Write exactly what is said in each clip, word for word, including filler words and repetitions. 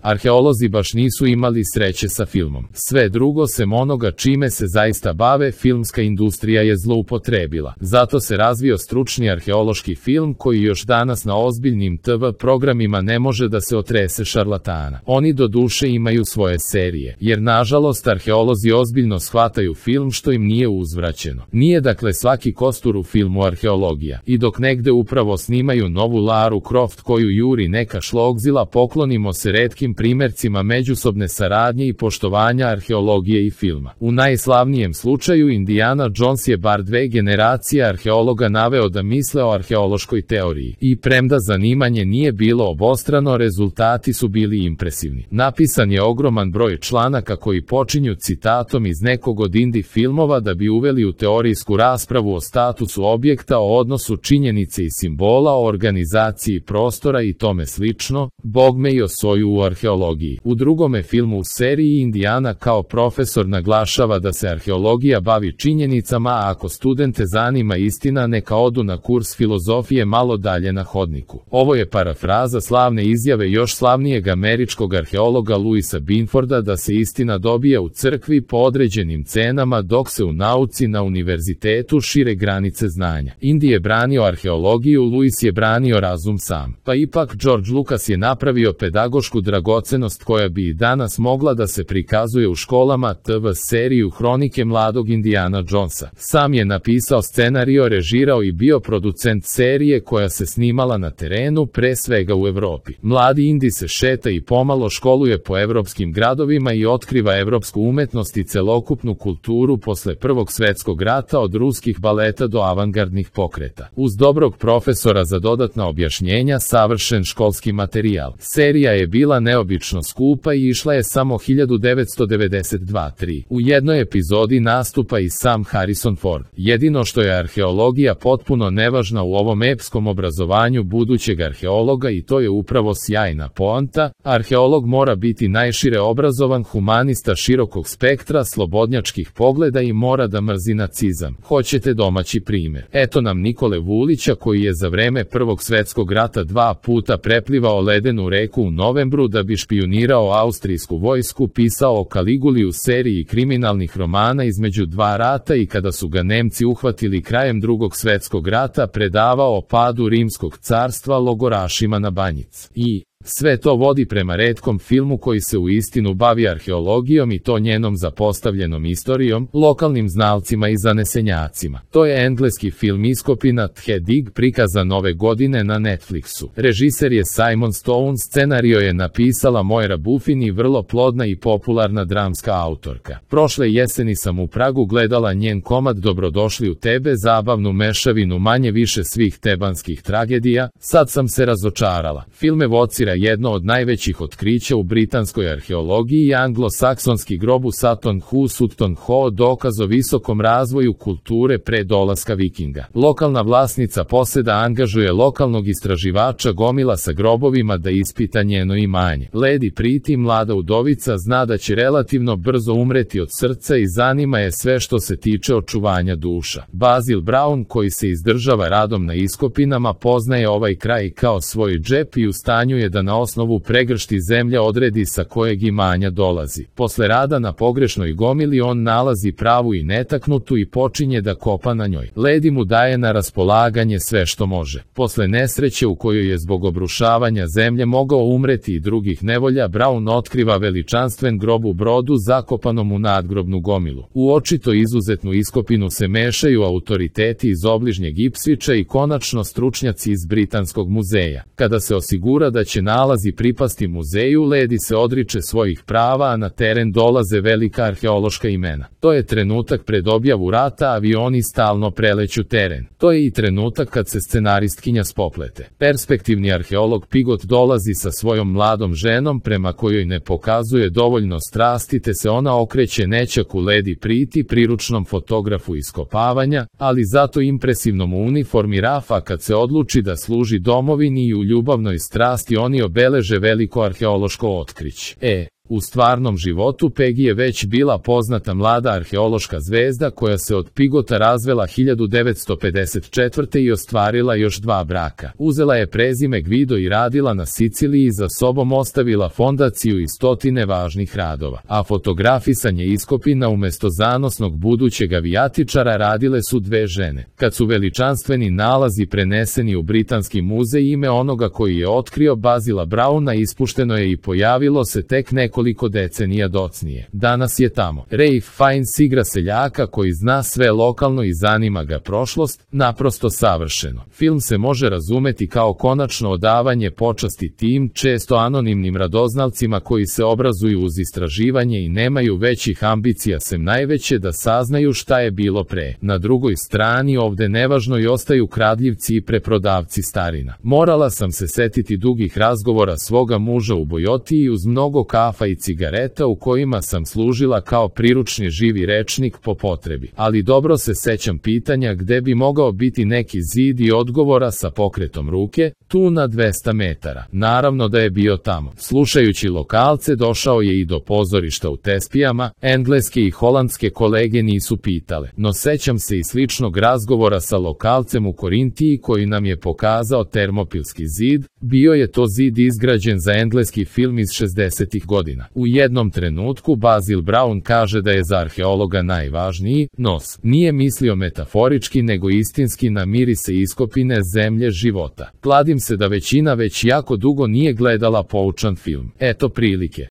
Arheolozi baš nisu imali sreće sa filmom. Sve drugo sem onoga čime se zaista bave, filmska industrija je zloupotrebila. Zato se razvio stručni arheološki film koji još danas na ozbiljnim te ve programima ne može da se otrese šarlatana. Oni do duše imaju svoje serije, jer nažalost arheolozi ozbiljno shvataju film što im nije uzvraćeno. Nije dakle svaki kostur u filmu arheologija. I dok negde upravo snimaju novu Laru Croft koju juri neka šlogzila, poklonimo se retkim primercima međusobne saradnje i poštovanja arheologije i filma. U najslavnijem slučaju Indiana Jones je bar dve generacije arheologa naveo da misle o arheološkoj teoriji. I premda zanimanje nije bilo obostrano, rezultati su bili impresivni. Napisan je ogroman broj članaka koji počinju citatom iz nekog od indie filmova da bi uveli u teorijsku raspravu o statusu objekta, o odnosu činjenice i simbola, o organizaciji prostora i tome slično, bogme i o soju u arheologiji. U drugome filmu u seriji Indiana kao profesor naglašava da se arheologija bavi činjenicama, a ako studente zanima istina neka odu na kurs filozofije malo dalje na hodniku. Ovo je parafraza slavne izjave još slavnijeg američkog arheologa Louisa Binforda da se istina dobija u crkvi po određenim cenama, dok se u nauci na univerzitetu šire granice znanja. Indy je branio arheologiju, Louis je branio razum sam. Pa ipak George Lucas je napravio pedagošku dragocenost koja bi i danas mogla da se prikazuje u školama, te ve seriju Hronike mladog Indiana Jonesa. Sam je napisao scenario, režirao i bio producent serije koja se snimala na terenu, pre svega u Evropi. Mladi Indy se šeta i pomalo školuje po evropskim gradovima i otkriva evropsku umetnost i celokupnu kulturu posle Prvog svetskog rata, od ruskih baleta do avangardnih pokreta. Uz dobrog profesora za dodatna objašnjenja, savršen školski materijal. Serija je bila neobično skupa i išla je samo hiljadu devetsto devedeset dva tri. U jednoj epizodi nastupa i sam Harrison Ford. Jedino što je arheologija potpuno nevažna u ovom epskom obrazovanju budućeg arheologa, i to je upravo sjajna poanta, arheolog mora biti najšire obrazovan humanista širokog spektra, slobodnjačkih pogleda i mora da mrzi nacizam. Hoćete domaći primjer? Eto nam Nikole Vulića koji je za vreme Prvog svetskog rata dva puta preplivao ledenu reku u novembru da bi špijunirao austrijsku vojsku, pisao o Kaliguli u seriji kriminalnih romana između dva rata i kada su ga Nemci uhvatili krajem Drugog svetskog rata predavao o padu Rimskog carstva logorašima na Banjic. I sve to vodi prema retkom filmu koji se u istinu bavi arheologijom i to njenom zapostavljenom istorijom, lokalnim znalcima i zanesenjacima. To je engleski film Iskopina The Dig, prikazan ove godine na Netflixu. Režiser je Simon Stone, scenario je napisala Moira Buffin i vrlo plodna i popularna dramska autorka. Prošle jeseni sam u Pragu gledala njen komad Dobrodošli u tebe, zabavnu mešavinu manje više svih tebanskih tragedija. Sad sam se razočarala. Film evocira jedno od najvećih otkrića u britanskoj arheologiji i anglosaksonski grob u Sutton Hoo, Sutton Hoo, dokaz o visokom razvoju kulture pre dolaska Vikinga. Lokalna vlasnica poseda angažuje lokalnog istraživača gomila sa grobovima da ispita njeno imanje. Lady Priti, mlada udovica, zna da će relativno brzo umreti od srca i zanima je sve što se tiče očuvanja duša. Basil Brown, koji se izdržava radom na iskopinama, poznaje ovaj kraj kao svoj džep i u stanju je da na osnovu pregršti zemlje odredi sa kojeg imanja dolazi. Posle rada na pogrešnoj gomili on nalazi pravu i netaknutu i počinje da kopa na njoj. Lady mu daje na raspolaganje sve što može. Posle nesreće u kojoj je zbog obrušavanja zemlje mogao umreti i drugih nevolja, Brown otkriva veličanstven grob u brodu zakopanom u nadgrobnu gomilu. U očito izuzetnu iskopinu se mešaju autoriteti iz obližnjeg Ipsviča i konačno stručnjaci iz Britanskog muzeja. Kada se osigura da će nalazi pripasti muzeju, Lady se odriče svojih prava, a na teren dolaze velika arheološka imena. To je trenutak pred objavu rata, avioni stalno preleću teren. To je i trenutak kad se scenaristkinja spoplete. Perspektivni arheolog Pigot dolazi sa svojom mladom ženom prema kojoj ne pokazuje dovoljno strasti, te se ona okreće nećaku Lady Priti, priručnom fotografu iskopavanja, ali zato impresivnom u uniformi Rafa, kad se odluči da služi domovini i u ljubavnoj strasti oni obeleže veliko arheološko otkriće. E, U stvarnom životu Peggy je već bila poznata mlada arheološka zvezda koja se od Pigota razvela hiljadu devetsto pedeset četvrte. i ostvarila još dva braka. Uzela je prezime Guido i radila na Siciliji i za sobom ostavila fondaciju i stotine važnih radova. A fotografisanje iskopina umesto zanosnog budućeg avijatičara radile su dve žene. Kad su veličanstveni nalazi preneseni u Britanski muzej, ime onoga koji je otkrio Bazila Brauna ispušteno je i pojavilo se tek nekoliko decenija docnije. Danas je tamo. Ralph Fiennes igra seljaka koji zna sve lokalno i zanima ga prošlost, naprosto savršeno. Film se može razumeti kao konačno odavanje počasti tim često anonimnim radoznalcima koji se obrazuju uz istraživanje i nemaju većih ambicija sem najveće da saznaju šta je bilo pre. Na drugoj strani ovde nevažno i ostaju kradljivci i preprodavci starina. Morala sam se setiti dugih razgovora svoga muža u Bojotiji uz mnogo kafa i cigareta u kojima sam služila kao priručni živi rečnik po potrebi. Ali dobro se sećam pitanja gde bi mogao biti neki zid i odgovora sa pokretom ruke, tu na dvesta metara. Naravno da je bio tamo. Slušajući lokalce došao je i do pozorišta u Tespijama, engleske i holandske kolege nisu pitale, no sećam se i sličnog razgovora sa lokalcem u Korintiji koji nam je pokazao Termopilski zid. Bio je to zid izgrađen za engleski film iz šezdesetih godina. U jednom trenutku Basil Brown kaže da je za arheologa najvažniji nos. Nije mislio metaforički nego istinski na mirise iskopine zemlje života. Kladim se da većina već jako dugo nije gledala poučan film. Eto prilike.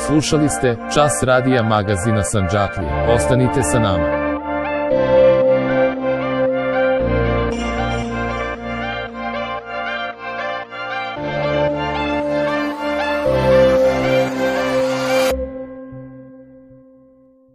Slušali ste Čas radija magazina Sandžaklije. Ostanite sa nama.